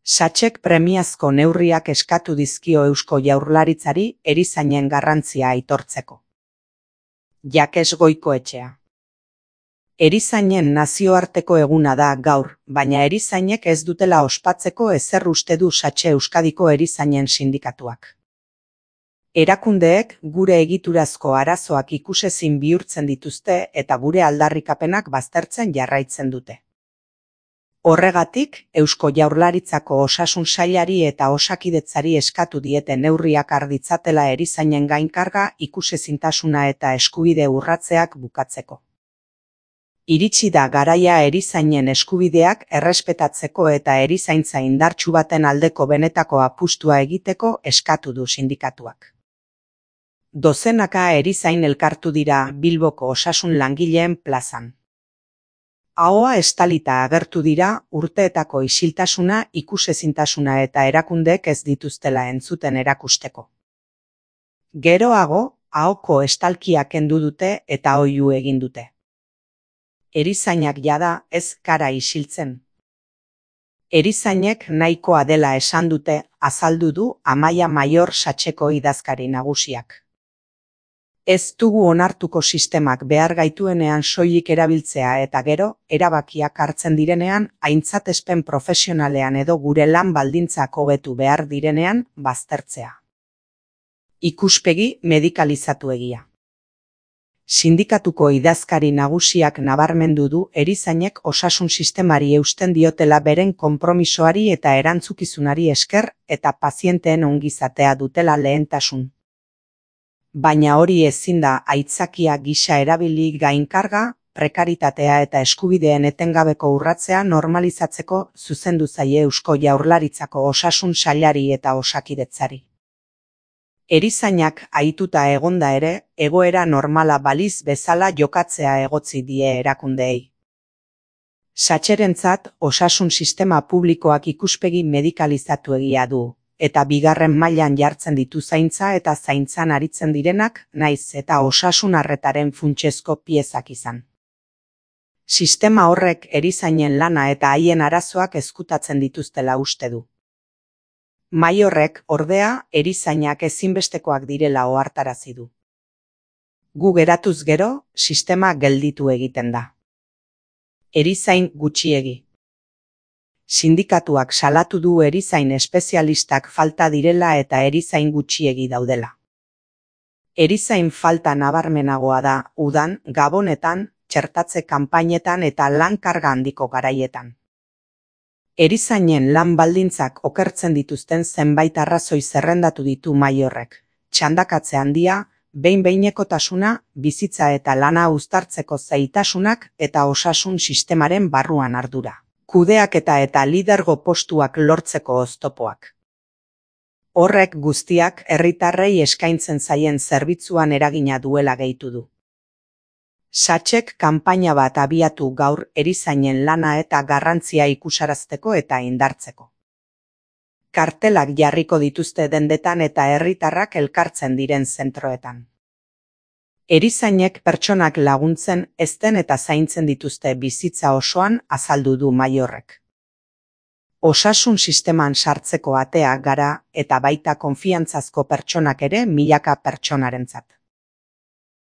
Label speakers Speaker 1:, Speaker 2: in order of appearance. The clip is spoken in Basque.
Speaker 1: Satxek premiazko neurriak eskatu dizkio Eusko Jaurlaritzari erizainen garrantzia aitortzeko. Jakes Goikoetxea. Erizainen nazioarteko eguna da gaur, baina erizainek ez dutela ospatzeko ezer uste du Satxe Euskadiko erizainen sindikatuak. Erakundeek gure egiturazko arazoak ikusezin bihurtzen dituzte eta gure aldarrikapenak baztertzen jarraitzen dute. Horregatik, Eusko Jaurlaritzako Osasun Sailari eta Osakidetzari eskatu diete neurriak har ditzatela erizainen gainkarga, ikusezintasuna eta eskubide urratzeak bukatzeko. Iritsi da garaia erizainen eskubideak errespetatzeko eta erizaintza indartsu baten aldeko benetako apustua egiteko eskatu du sindikatuak. Dozenaka erizain elkartu dira Bilboko osasun langileen plazan. Ahoa estalita agertu dira urteetako isiltasuna, ikusezintasuna eta erakundeek ez dituztela entzuten erakusteko. Geroago, ahoko estalkia kendu dute eta oihu egin dute. Erizainak jada ez gara isiltzen. Erizainek nahikoa dela esan dute, azaldu du Amaia Maior Satxeko idazkari nagusiak. Ez dugu onartuko sistemak behar gaituenean soilik erabiltzea eta gero, erabakiak hartzen direnean, aintzatespen profesionalean edo gure lan baldintzak hobetu behar direnean, baztertzea. Ikuspegi medikalizatu egia. Sindikatuko idazkari nagusiak nabarmendu du erizainek osasun sistemari eusten diotela beren konpromisoari eta erantzukizunari esker eta pazienteen ongizatea dutela lehentasun. Baina hori ezin da aitzakia gisa erabili gainkarga, prekaritatea eta eskubideen etengabeko urratzea normalizatzeko zuzendu zaie Eusko Jaurlaritzako Osasun Sailari eta Osakidetzari. Erizainak ahituta egonda ere, egoera normala baliz bezala jokatzea egotzi die erakundeei. Satxerentzat osasun sistema publikoak ikuspegi medikalizatu egia du, eta bigarren mailan jartzen ditu zaintza eta zaintzan aritzen direnak, naiz eta osasun arretaren funtsezko piezak izan. Sistema horrek erizainen lana eta haien arazoak ezkutatzen dituztela uste du. Maiorrek, ordea, erizainak ezinbestekoak direla ohartarazi du. Gu geratuz gero, sistema gelditu egiten da. Erizain gutxiegi. Sindikatuak salatu du erizain espezialistak falta direla eta erizain gutxiegi daudela. Erizain falta nabarmenagoa da udan, gabonetan, txertatze kanpainetan eta lan karga handiko garaietan. Erizainen lan baldintzak okertzen dituzten zenbait arrazoi zerrendatu ditu Maiorrek. Txandakatze handia, behin-behinekotasuna, bizitza eta lana uztartzeko zailtasunak eta osasun sistemaren barruan ardura. Kudeaketa eta lidergo postuak lortzeko oztopoak. Horrek guztiak herritarrei eskaintzen zaien zerbitzuan eragina duela gehitu du. Satxek kanpaina bat abiatu gaur erizainen lana eta garrantzia ikusarazteko eta indartzeko. Kartelak jarriko dituzte dendetan eta herritarrak elkartzen diren zentroetan. Erizainek pertsonak laguntzen, ezten eta zaintzen dituzte bizitza osoan azaldu du Maiorrek. Osasun sisteman sartzeko atea gara eta baita konfiantzazko pertsonak ere milaka pertsonarentzat.